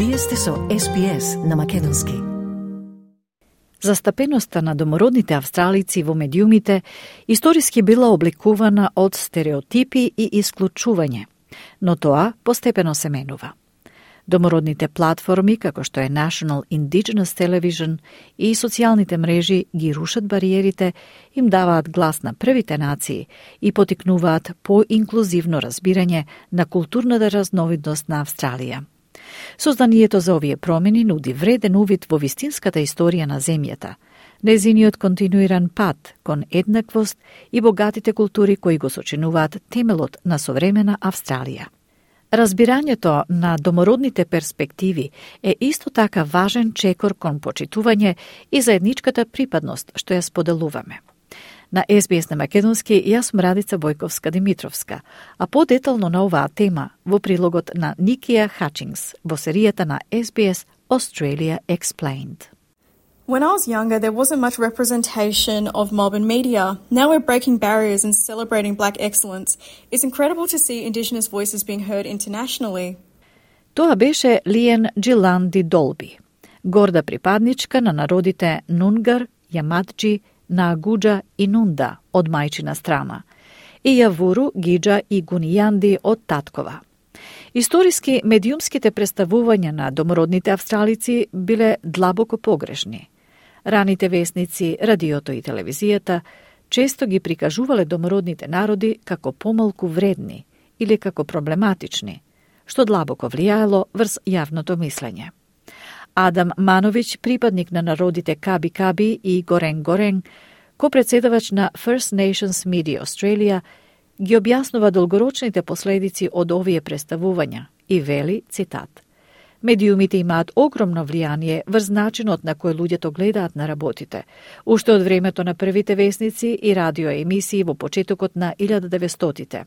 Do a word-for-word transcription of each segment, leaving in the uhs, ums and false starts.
Вие сте со Ес Би Ес на македонски. Застапеноста на домородните австралици во медиумите историски била обликувана од стереотипи и исклучување, но тоа постепено се менува. Домородните платформи, како што е National Indigenous Television и социјалните мрежи ги рушат бариерите, им даваат глас на првите нации и потикнуваат по-инклузивно разбирање на културната разновидност на Австралија. Созданието за овие промени нуди вреден увид во вистинската историја на земјата, незиниот континуиран пат кон еднаквост и богатите култури кои го сочинуваат темелот на современа Австралија. Разбирањето на домородните перспективи е исто така важен чекор кон почитување и заедничката припадност што ја споделуваме. На Ес Би Ес на македонски, јас сум Радица Бојковска-Димитровска, а подетално на оваа тема во прилогот на Никија Хачингс во серијата на Ес Би Ес Australia Explained. When I was younger, there wasn't much representation of mob and media. Now we're breaking barriers and celebrating black excellence. It's incredible to see Indigenous voices being heard internationally. Тоа беше Лиен Джиланди Долби, горда припадничка на народите Нунгар, Јамаджи, Наагуџа и Нунда од мајчина страна, и Јавуру, Гиџа и Гунијанди од таткова. Историски медиумските представувања на домородните австралици биле длабоко погрешни. Раните весници, радиото и телевизијата често ги прикажувале домородните народи како помалку вредни или како проблематични, што длабоко влијаело врз јавното мислење. Адам Мановиќ, припадник на народите Каби Каби и Горен Горен, ко-председавач на First Nations Media Australia, ги објаснува долгорочните последици од овие представувања и вели, цитат: "Медиумите имаат огромно влијание врз начинот на кој луѓето гледаат на работите, уште од времето на првите весници и радиоемисии во почетокот на илјада деветстотите.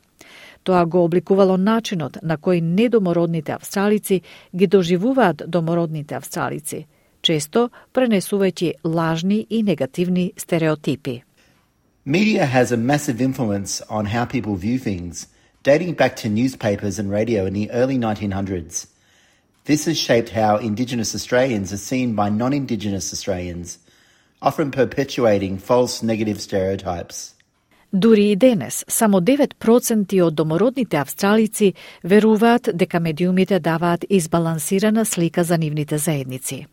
Тоа го обликувало начинот на кој недомородните австралици ги доживуваат домородните австралици, често пренесувајќи лажни и негативни стереотипи." Media has a massive influence on how people view things, dating back to newspapers and radio in the early nineteen hundreds. This has shaped how Indigenous Australians are seen by non-Indigenous Australians, often perpetuating false negative stereotypes. Дури и денес, само девет проценти од домородните австралици веруваат дека медиумите даваат избалансирана слика за нивните заедници.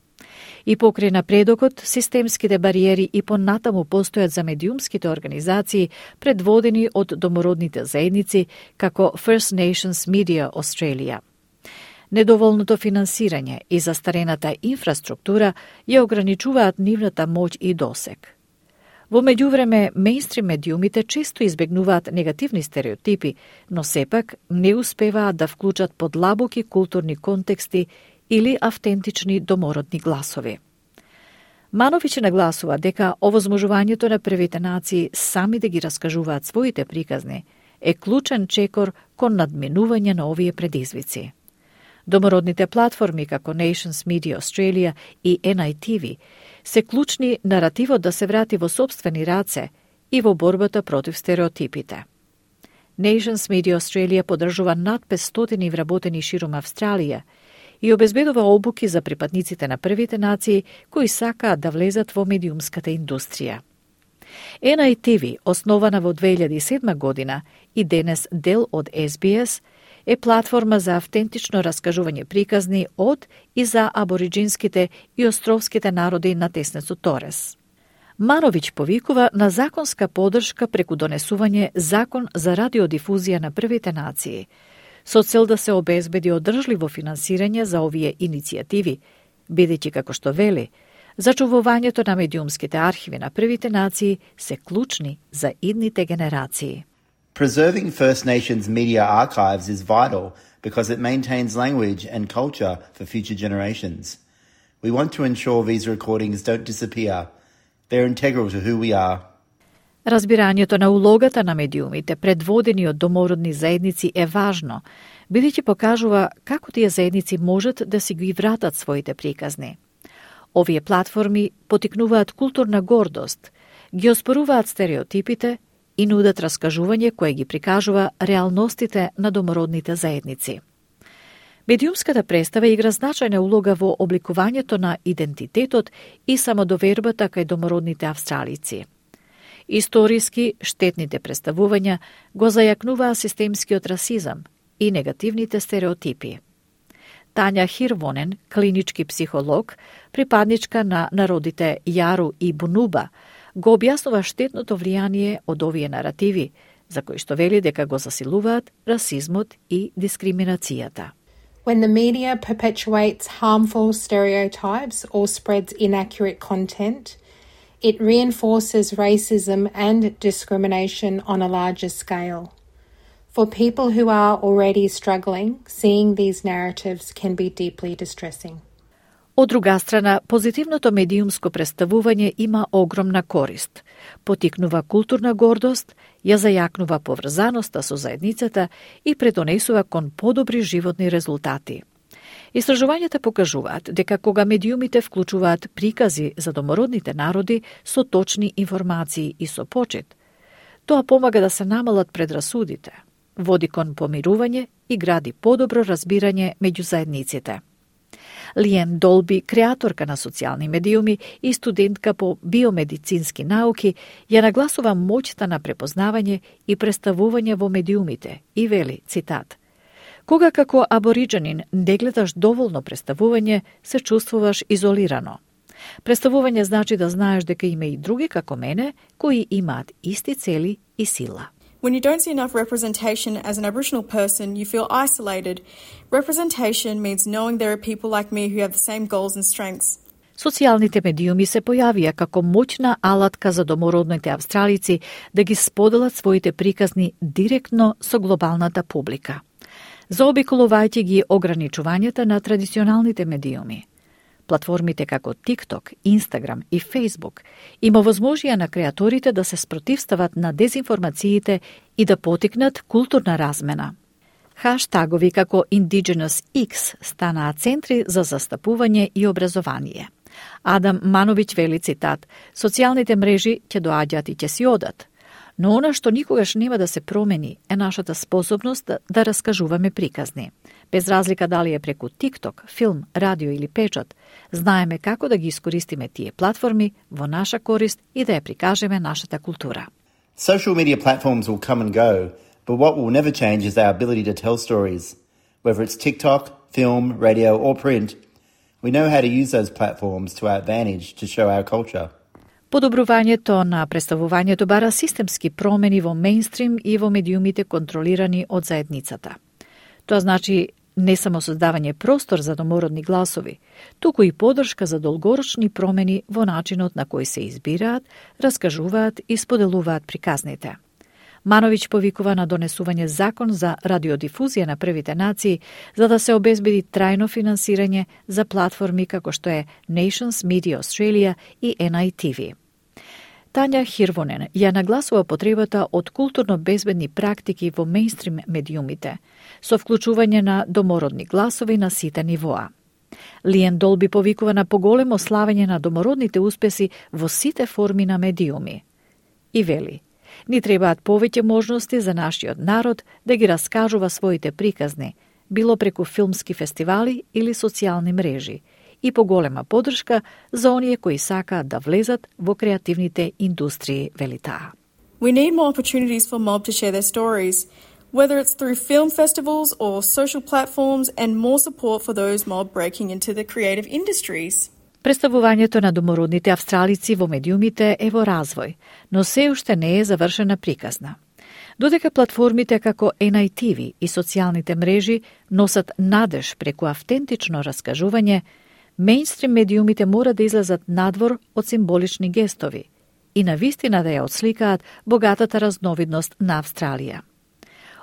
И покрај напредокот, системските бариери и понатаму постојат за медиумските организации предводени од домородните заедници како First Nations Media Australia. Недоволното финансирање и застарената инфраструктура ја ограничуваат нивната моќ и досег. Во меѓувреме, мејнстрим медиумите често избегнуваат негативни стереотипи, но сепак не успеваат да вклучат подлабоки културни контексти или автентични домородни гласови. Мановиќ нагласува дека овозможувањето на првите нации сами да ги раскажуваат своите приказни е клучен чекор кон надминување на овие предизвици. Домородните платформи како Nations Media Australia и Ен Ај Ти Ви се клучни наративот да се врати во сопствени раце и во борбата против стереотипите. Nations Media Australia подржува над петстотини вработени ширум Австралија и обезбедува обуки за припадниците на првите нации кои сакаат да влезат во медиумската индустрија. Ен Ај Ти Ви, основана во две илјади и седма година и денес дел од Ес Би Ес, е платформа за автентично раскажување приказни од и за абориджинските и островските народи на Теснецот Торес. Мановиќ повикува на законска подршка преку донесување закон за радиодифузија на првите нации, со цел да се обезбеди одржливо финансирање за овие иницијативи, бидејќи, како што вели, зачувувањето на медиумските архиви на првите нации се клучни за идните генерации. Preserving First Nations media archives is vital because it maintains language and culture for future generations. We want to ensure these recordings don't disappear. They're integral to who we are. Разбирањето на улогата на медиумите предводени од домородни заедници е важно, бидејќи покажува како тие заедници можат да си ги вратат своите приказни. Овие платформи потикнуваат културна гордост, ги оспоруваат стереотипите и нудат раскажување кое ги прикажува реалностите на домородните заедници. Медиумската представа игра значајна улога во обликувањето на идентитетот и самодовербата кај домородните австралици. Историски, штетните представувања го зајакнуваа системскиот расизам и негативните стереотипи. Тања Хирвонен, клинички психолог, припадничка на народите Јару и Бунуба, го објаснува штетното влијание од овие наративи, за кои што вели дека го засилуваат расизмот и дискриминацијата. When the media perpetuates harmful stereotypes or spreads inaccurate content, it reinforces racism and discrimination on a larger scale. For people who are already struggling, seeing these narratives can be deeply distressing. Од друга страна, позитивното медиумско представување има огромна корист. Потикнува културна гордост, ја зајакнува поврзаноста со заедницата и предонесува кон подобри животни резултати. Истражувањата покажуваат дека кога медиумите вклучуваат прикази за домородните народи со точни информации и со почет, тоа помага да се намалат предрасудите, води кон помирување и гради подобро разбирање меѓу заедниците. Лиен Долби, креаторка на социјални медиуми и студентка по биомедицински науки, ја нагласува моќта на препознавање и представување во медиумите и вели, цитат: "Кога како абориџанин не гледаш доволно представување, се чувствуваш изолирано. Представување значи да знаеш дека има и други како мене, кои имаат исти цели и сила." When you don't see enough representation as an Aboriginal person, you feel isolated. Representation means knowing there are people like me who have the same goals and strengths. Социјалните медиуми се појавија како моќна алатка за домородните австралици да ги споделат своите приказни директно со глобалната публика, заобиколувајќи ги ограничувањата на традиционалните медиуми. Платформите како TikTok, Instagram и Facebook им овозможија на креаторите да се спротивстават на дезинформациите и да потикнат културна размена. Хаштагови како Indigenous X станаа центри за застапување и образование. Адам Мановиќ вели, цитат: "Социјалните мрежи ќе доаѓаат и ќе си одат, но она што никогаш нема да се промени е нашата способност да, да раскажуваме приказни. Без разлика дали е преку TikTok, филм, радио или печат, знаеме како да ги искористиме тие платформи во наша корист и да ја прикажеме нашата култура." Social media platforms will come and go, but what will never change is our ability to tell stories. Whether it's TikTok, film, radio or print, we know how to use those platforms to our advantage to show our culture. Подобрувањето на представувањето бара системски промени во мејнстрим и во медиумите контролирани од заедницата. Тоа значи не само создавање простор за домородни гласови, туку и подршка за долгорочни промени во начинот на кој се избираат, раскажуваат и споделуваат приказните. Мановиќ повикува на донесување закон за радиодифузија на првите нации, за да се обезбеди трајно финансирање за платформи како што е Nations Media Australia и Ен Ај Ти Ви. Тања Хирвонен ја нагласува потребата од културно безбедни практики во мејнстрим медиумите, со вклучување на домородни гласови на сите нивоа. Лиен Долби повикува на поголемо славење на домородните успеси во сите форми на медиуми. И вели: "Ни требаат повеќе можности за нашиот народ да ги раскажува своите приказни, било преку филмски фестивали или социјални мрежи, и поголема поддршка за оние кои сакаат да влезат во креативните индустрии", вели таа. We need more opportunities for mob to share their stories, whether it's through film festivals or social platforms, and more support for those mob breaking into the creative industries. Представувањето на домородните австралици во медиумите е во развој, но се уште не е завршена приказна. Додека платформите како Ен Ај Ти Ви и социјалните мрежи носат надеж преку автентично раскажување, мејнстрим медиумите мора да излезат надвор од символични гестови и навистина да ја отсликаат богатата разновидност на Австралија.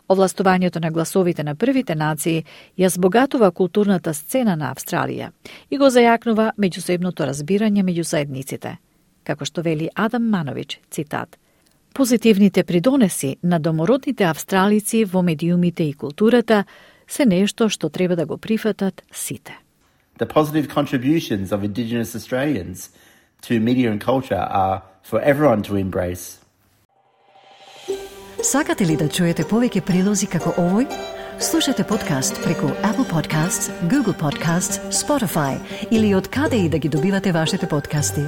Овластувањето на гласовите на првите нации ја збогатува културната сцена на Австралија и го зајакнува меѓусебното разбирање меѓу заедниците. Како што вели Адам Мановиќ, цитат: "Позитивните придонеси на домородните австралици во медиумите и културата се нешто што треба да го прифатат сите." The positive contributions of Indigenous Australians to media and culture are for everyone to embrace. Сакате ли да чуете повеќе прилози како овој? Слушате подкаст преку Apple Podcasts, Google Podcasts, Spotify или од каде и да ги добивате вашите подкасти.